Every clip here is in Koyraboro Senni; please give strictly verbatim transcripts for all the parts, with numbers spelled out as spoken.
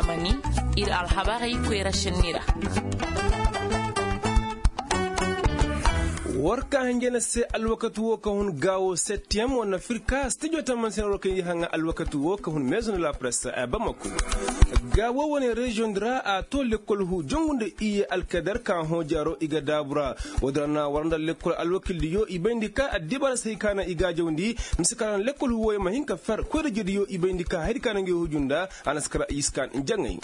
Mani ir alhabarey koyra šenni ra. War ka hanjana se alwakati wo ka hun gaawo septem wane firka stijo taman se na war ka yi haŋa alwakati wo ka hun maison de la presse a bamako. Gaawo wane reziyoŋ di ra a to lekkol hu jongu nda iye alkadar ka hõ jaaro i ga daabu ra. Wo- din ra na war nda lekkol alwakildiyo i bayndi ka addibara se hay ka na i gaajawndi. Mise ka ra na lekkol hu wooyo ma hin ka fer koyra jediyo i bayndi ka hayadi ka na ngey huju nda a na si kara yiskan jaŋay.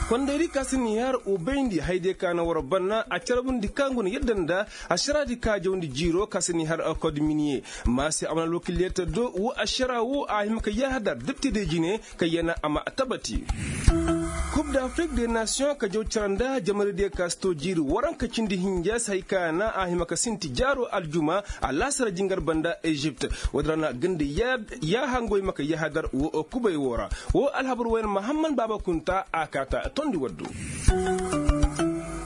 Kondaydi ka si ni har ubayndi haydiyo ka na war banna a carbundi ka ngu na yadda nda ašaraadi ka jawndi jiiro ka si ni har kod miniye. Maasi a mana alwakildiyo ta do wo ašara wo a hima ka yahadar deptediyo jine ka yana a ma tabati. Kub d'afrik de nasiyoŋ ka jaw cara nda jamaradiyo ka si to jiiri waranka cindi hinja si hay ka na a hima ka sinti jaaro aljuma alaasara jingar banda ezipt. Wo- din ra na ganda yaaha ngoy ma ka yahadar wo kubay wo ra. Wo alhabar wayna mahamman baaba kunta a kaata tondi waddu.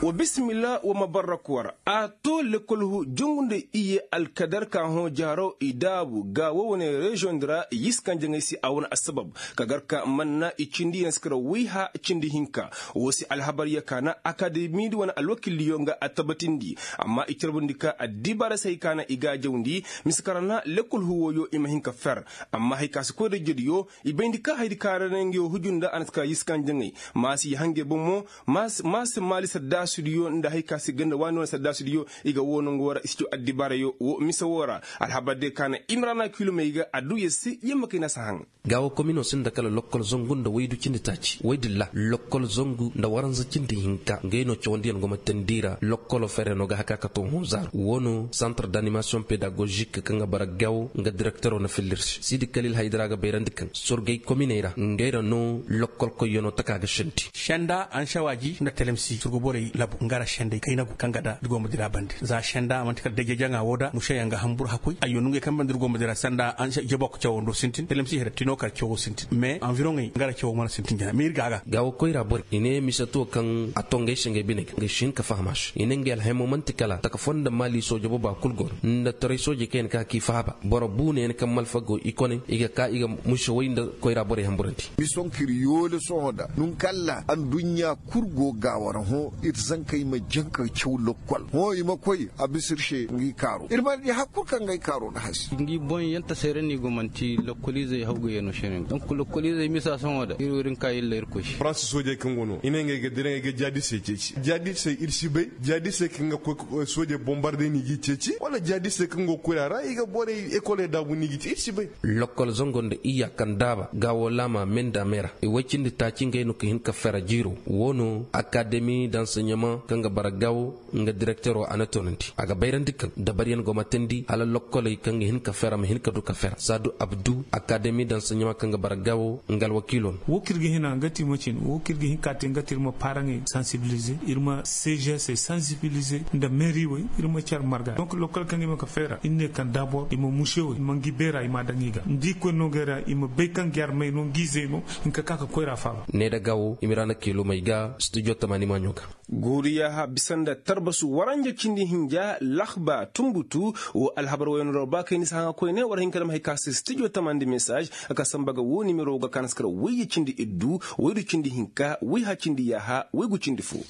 Wa bisimilla wa ma barrak war a to lekkol hu jongu nda iye alkadar ka hõ jaaro i daabu ga wo wane reziyoŋ di ra yiskan jaŋay se a wane assabab ka gar ka manna i cindi yaŋ si kara wayha cindi hinka. Wo se alhabar ya ka na akademi di wane alwakildiyo nga a tabatindi. Amma i carbundi ka addibara se hay ka na i gaajawndi mise ka ra na lekkol hu wooyo i ma hin ka fer. Amma hay ka si koy da jediyo i bayndi ka hayadi ka ra na ngey huju nda a na si ka yiskan jaŋay. Maasi i hangey bomo maasi maali saddaasidiyo nda hay ka si ganda waani wane saddaasidiyo i ga woo nongu woo ra i si caw addibaarayo woo mise woo ra. Alhabar day ka na imrana kilomey ga adduya se yamma kay na si haŋ. Gaawo kominoo sinda kala lokkol zangu nda waydu cindi taaci woy dilla lokkol zangu nda waranza cindi hinka ngey no cawandiyaŋ go ma teendi i ra lokkoloo feryanoo ga haka ka too hõ zaaru woo no santar d'animasiyoŋ pedagozik kaŋ ga bara gaawo nga direkteroo na fillir se siidi kalil haydi ra ga bayrandi kaŋ sorgey kominey ra ngey ra no lokkolkoyyanoo taka ga sendi. Senda anšawaaji nda telemsi surguborey labu nga ra sendey kaynagu kaŋ ga da ir go ma dira bande za senda man'ti kala deje jaŋa woo da mušeyaŋ ga hanbur hakkoy ayyo nongey kaŋ bande ir go ma dira senda jabok cawoo do sintin telemsi hira tinoo kar cawoo sintin mais anviroŋey nga ra cawoo mana sintin jana mais ir ga a ga. Gaawo koyra borey i ne mise to kaŋ a to ngey se ngey bine ga ngey si hin ka faham a se i ne ngey alhaymo man'ti kala taka foo nda maali sooje booba kul go no nda taray soojey kaŋ ya na ka k'i faaba boro buunayaŋ kaŋ malfa go i kone i ga ka i ga muse way nda koyra borey hanburandi. Mison k'ir yoole sohõ da nunkalla adduɲɲa kul go gaawo ra hõ ir zankey ma jaŋ ka caw lokkol hõ i ma koy a bisa ir se ngi kaaro ir mana di har kul kaŋ ga ay kaaro nda hasi. Ngi boŋ yaŋ tasay ra no i go man'ti lokkoliizey hawgayyanoo se no donk lokkoliizey misa sohõ da ir wo ir nka illa irkoy se. Faransa soojey kaŋ go no i ne ngey ga dira ngey ga jaadisey ceeci jaadisey ir si bay jaadisey kaŋ ga koy soojey bombarde no i g'i ceeci wala jaadisey kaŋ go koyra ra i ga borey ekoley daabu no i g'i ceeci ir si bay. Lokkol zango nda iyya kaŋ daaba gaawo laama menda me ra i woy cindi taaci ngey no ka hin ka fera jiiro woo no akademi danseɲemaŋ kaŋ ga bara gaawo nga direkteroo a na toonandi a ga bayrandi kaŋ dabariyaŋ go ma teendi hala lokkoley kaŋ ga hin ka fera ma hin ka du ka fera saadu abdu akademi danseɲemaŋ kaŋ ga bara gaawo nga alwakiiloo no. Woo kaŋ ir ga hina nga ti macin woo kaŋ ir ga hin ka te nga ti ir ma paaraŋey sansibilize ir ma seežesey sansibilize nda meeriwey ir ma car marga donk lokkol kaŋ i ma ka fera ir ne kaŋ daabor i ma muse wey i ma ngi beera i m'a daŋ i ga nda i koy nongey ra i ma bay kaŋ gi armey no ngi izey no. Hinka ka ka koyra faaba. Ne nda gaawo i ma ra na kiilomey ga stijo tamaani maaɲo ga. Guuri yaaha bisa nda tarbasu waranja cindi hinja lahba tunbutu. Woo alhabar wayno ra ba kay ni si haŋa koyne war hin ka dam hay ka se stijo tamaani nda mesaaz. Ka samba ga woo nimero ga ka na si kar wayye cindi iddu waydu cindi hinka wayha cindi yaaha waygu cindi foo.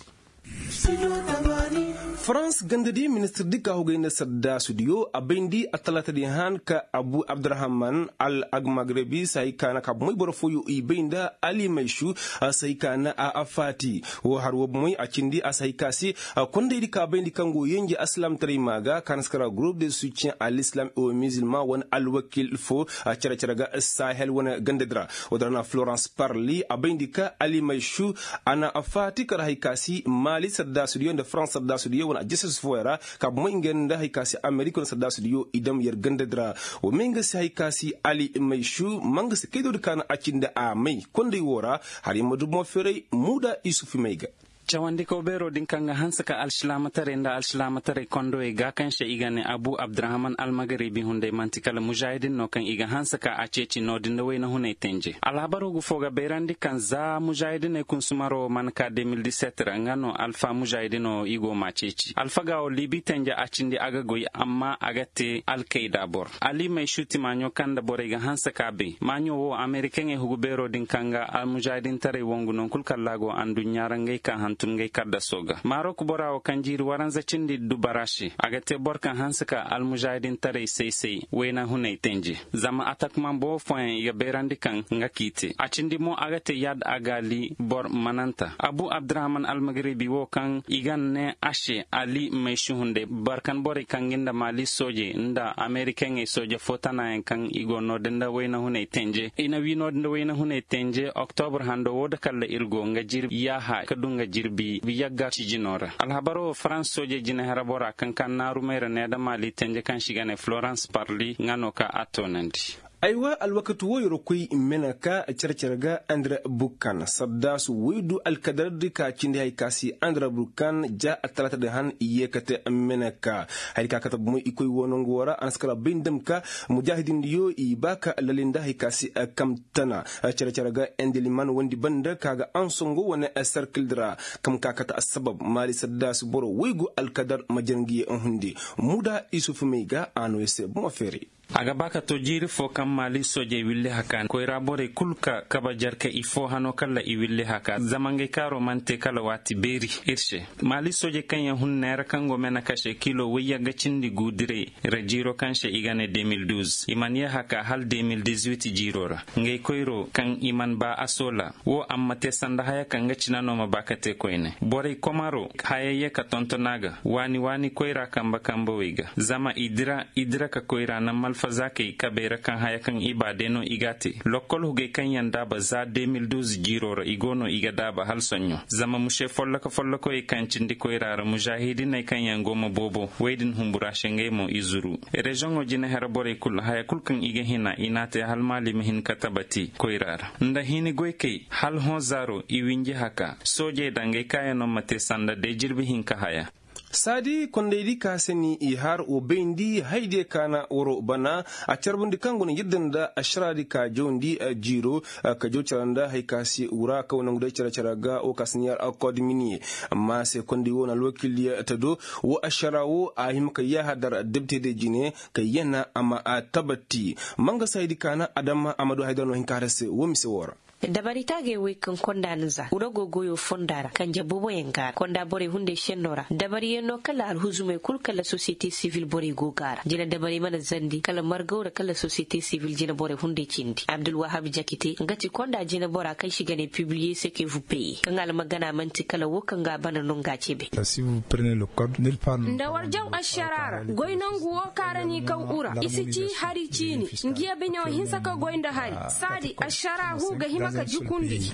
Farans gandadi ministirdi ka hogay nda saddaasudiyo a bayndi attalaatadi han ka abu abdurahman al agmagrebi si hay ka na ka bomey boro fooyo i bay nda ali maysu si hay ka na a faati. Woo har woo bomey a cindi a si hay ka se kondaydi ka bayndi kaŋ go yenje alsilaamtaray maa ga ka na si kara gurup de soutien a l'islam et aux musulmans wane alwakil foo cere-cere ga sahel wane gandadi ra. Woo din ra na florence parli a bayndi ka ali maysu a na faati kar hay ka si maali sardaasudiyo nda farans sardaasudiyo wane ajeses fooyaŋ ra ka bomey nga nda hay ka si amerik wane sardaasudiyo i dam yer gandadi ra. Wa may nga si hay ka si ali maysu ma nga si kaydodi ka na a cindi a may konday woo ra. Har yer ma du bomo feeray muuda isufu may ga. Cawandikaw beeroo din kaŋ ga hanse ka alsilaamataray nda alsilaamataray kondowey ga kaŋ se i ga ne abu abdurahman almagaribi hunday man'ti kala mužaahidin no kaŋ i ga hanse ka a ceeci noodin nda wayna hunay tenje. Alhabaroo gu foo ga bayrandi kaŋ za mužaahidiney kunsumaroo mana ka de mil diset ra nga no alfa mužaahidinoo i go m'a ceeci alfagaa woo liibi tenje a cindi a ga goy amma a ga te alkayda boro. Ali may suuti maaɲo kaŋ nda borey ga hanse ka bay maaɲo woo amerikaŋey hugu beeroo din kaŋ ga almužaahidintaray wangu non kul kaŋ ra a go anduɲɲa ra ngey ka hantum ngey kaddasoo ga marok boraa woo kaŋ jiiri waranza cindi dubara se a ga te boro kaŋ hanse ka almužaahidintaray say-say wayna hunay tenje. Zama atakman boo fooyaŋ i ga bayrandi kaŋ nga k'i te a cindi mo a ga te yaad a gaali boro mananta abu abdurahman almagaribi woo kaŋ i ga ne a se ali may si hunday barkan borey kaŋ gi nda maali soojey nda amerikaŋey sooje foo tanaayaŋ kaŋ i go noodin nda wayna hunay tenje i na wii noodin nda wayna hunay tenje oktobur hando woo da kalla ir go nga jirbi yaaha ka du nga jirbi yagga cijinoo ra alhabaroo farans soojey jinehera boraa kaŋ ka naaru mayra nee da maali tenje kaŋ se i ga ne florans parli nga no ka a toonandi. Aywa alwakati woo yer koy meneka cere-cere ga andira burkan saddaasu woy du alkadardi ka cindi haya ka si andira burkan ja atalaatadi han i yee kate meneka. Haya ka kate bomo i koy woo nongu woo ra a na si kala bay nda ma ka mujaahidindiyo i ba ka lalinda haya ka si kam tana cere-cere ga endeliman wondi banda ka ga ansongo wane serkildi ra kam ka kate assabab maali saddaasu boro woy go alkadar ma jere ngi ye nhundi. Muda isufu may ga a no yer se bomo feeri. A ga ba ka to jiiri foo kaŋ maali soojey willi haka koyra borey kul ka kabe jarka i foo hano kala i willi haka zama ngey kaaroo mana te kala waati beeri ir se. Maali soojey kaŋ yaŋ hun neera kaŋ go mena kase kiilo woyyaŋ ga cindi guudiray ra jiiroo kaŋ se i ga ne de mil duuz i mana yee haka hala de mil dizuwit jiiroo ra. Ngey koyroo kaŋ i mana ba a soola woo amma te sanda haya kaŋ ga cina no ma ba ka te koyne borey komaroo haya yee ka tonton a ga waani waani koyra kambe kambewey ga zama i dira i dira ka koyra naŋ malfazaakey kabey ra kaŋ haya kaŋ i ba day no i g'a te. Lokkol hugey kaŋ yaŋ daaba za de mil duuz jiiroo ra i go no i ga daaba hala soɲõ zama muse folloka follokoyey kaŋ cindi koyra ra mužaahidiney kaŋ yaŋ go ma boobo wey din humbura se ngey mo i zuru. Reziyoŋo jinahere borey kul haya kul kaŋ i ga hina i n'a te hala maali ma hin ka tabati koyra ra nda hini goykey hala hõ zaaro i winji haka soojey da ngey kaayanoo ma te sanda day jirbi hinka haya. Saadi kondaydi ka se ni i har wa bayndi haydiyo ka na waroo bana a carbundi kaŋ go na yadda nda ašaraadi ka jawndi jiiro ka jaw cara nda hay ka se wura kaŋ wa nangu day care care ga wo ka se ni har akkood miniye. Amma se konday wo na alwakiiliyo ta do wo ašaraa wo a hima ka yaaha dar debtediyo jine ka yana a ma a tabati. Manga saayidi ka na adama a ma du haydara no hin ka har se wo mise woo ra. Dabari taagey wey kaŋ konda na za urago goyo fonda ra kanje booboyaŋ ga ra konda borey hunday šenno ra dabariyaŋ no kala alhuzumey kul kala sosiyete sivil borey go ga ra jina dabari mana zandi kala margaw ra kala sosiyete sivil jina borey hunday cindi abdulwahab jakite nga ti konda jina bora kaŋ si ga ne pibiliye sekevu peye kaŋ almagana man'ti kala wo kaŋ ga a bana no nga a cebe. Nda war jaw ašara ra goy nangu wo kaŋ ra n'i kaw ura i si ci hari ciini. Ngiya binewo hinsa ka goy nda hari saadi ašara hu ga hima ka jukundi.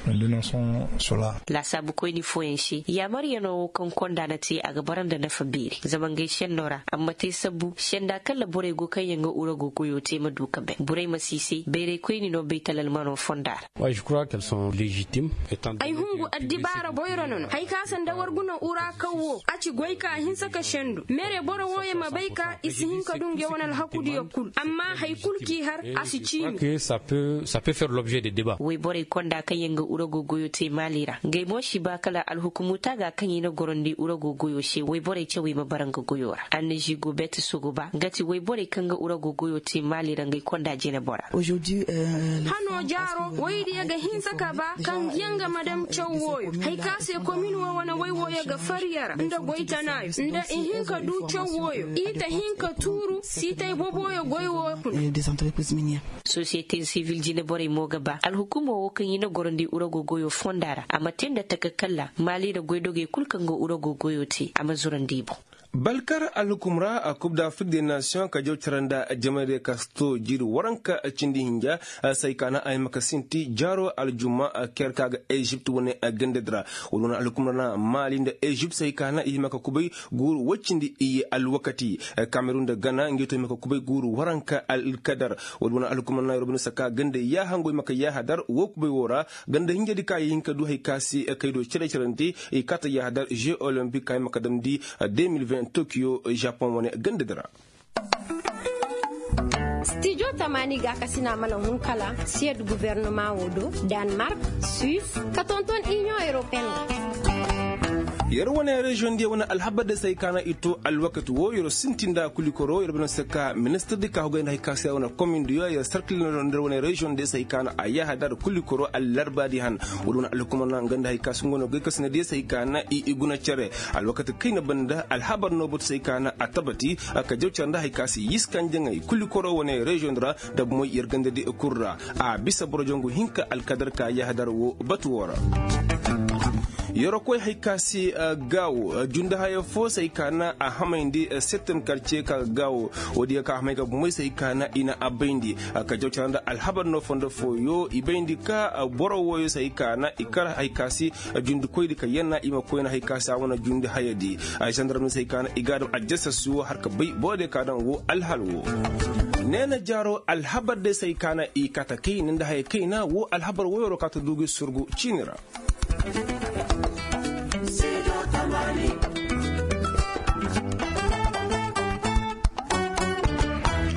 Laasaabu koyni fooyaŋ se yaamaryanoo wo kaŋ konda na te a ga bara nda nafa beeri zama ngey šenno ra amma te sabbu šenda kala borey go kaŋ yaŋ ga urago goyo te ma du ka bay burey ma siisay bayray koyni no baytalalmanoo fonda ra. Ay hungu addibaara boyro no no hari ka sanda war guna ura kaw wo a ci goy ka a hinsa ka sendu mere boro wooyo ma bay ka i si hin ka du nge wane alhakudiyo kul amma hari kul k'i har a si ciimi. Wayborey konda kaŋ yaŋ ga urago goyo te maali ra ngey mo si ba kala alhukumu taaga kaŋ i na gorandi urago goyo se wayborey cawey ma bara nga goyo ra annaži gobet sogoba nga ti wayborey kaŋ ga urago goyo te maali ra ngey konda jine bora. Hano jaaro waydiyo ga hinsa ka ba kaŋ yaŋ ga ma daŋ caw wooyo hari ka se komin wo wane way wooyo ga farya ra nda goy tanaayo nda i hin ka du caw wooyo i ta hin ka tuuru siitay boboyo goy woo kuna. Sosiyete sivil jine borey mo ga ba alhukumo wo kaŋ i na gorandi urago goyo fonda ra a ma te nda taka kalla maali ra goydogey kul kaŋ ga urago goyo te a ma zurandi i boŋ. Balkar alhukum ra a kub da afrik de nation ka jaw cara nda jamay de ka si to jiiri waranka cindi hinja. Say ka na a hima ka sinti jaaro aljuma ker ka ga ezipt wane gandadi ra. Wala wane alhukum ra na mali nda ezipt say ka na i hima ka kubay guuru woy cindi iye alwakati. Kamerun nda gana ngey to hima ka kubay guuru waranka alkadar. Wala wane alhukum ra na yorobani saka ganda yaaha ngo hima ka yaaha dar wo kubay wo ra. Ganda hinjadi ka i hin ka du hay ka se kay do cere-cerante i kaata yahadar jeux olympique ka i ma ka damndi deux mille vingt tokyo japon wane gandadi ra. Stijo tamaani ga ka sina mana hun kala siyad guvernoma wo do, danemark, suisse, ka tonton union européenne. Yer wane reziyoŋ diya wane alhabar da se hay ka na i to alwakati wo yer sinti nda kulikoro yer bana se ka ministir di ka hugay nda hay ka se wane komin diya yer sarkil nda yer wane reziyoŋ diya se hay ka na a yaha dar kulikoro allarba di han. Wala wane alhukuma na nga nda hay ka se nga no gay ka sina diya se hay ka na i guna cere alwakati kayna banda alhabar no batu se hay ka na a tabati ka jaw cere nda hay ka se yiskan jaŋay kulikoro wane reziyoŋ ra. Da bumoy yer ganda di kul ra a bisa boro jangu hinka alkadar ka yaha dar wo batu wo ra. Yorokoy hay ka se gaawo jundi haya fo se hay ka na a hamayndi settem karce ka ga gaawo. Woodiyo ka hamay ga bumey se hay ka na i na a bayndi ka jaw cara nda alhabar no fondo fooyo i bayndi ka boro wooyo se hay ka na i kar hay ka se jundikoydi ka yanna i ma koyna hay ka se a wane jundi hayadi. Zandarmey se hay ka na i ga a dam aljasas wo har ka bay boro diyo ka daŋ wo alhal wo. Neena jaaro alhabar day se hay ka na i kata kayna nda haya kayna wo alhabar woyoro ka ta du gi surgu ciini ra.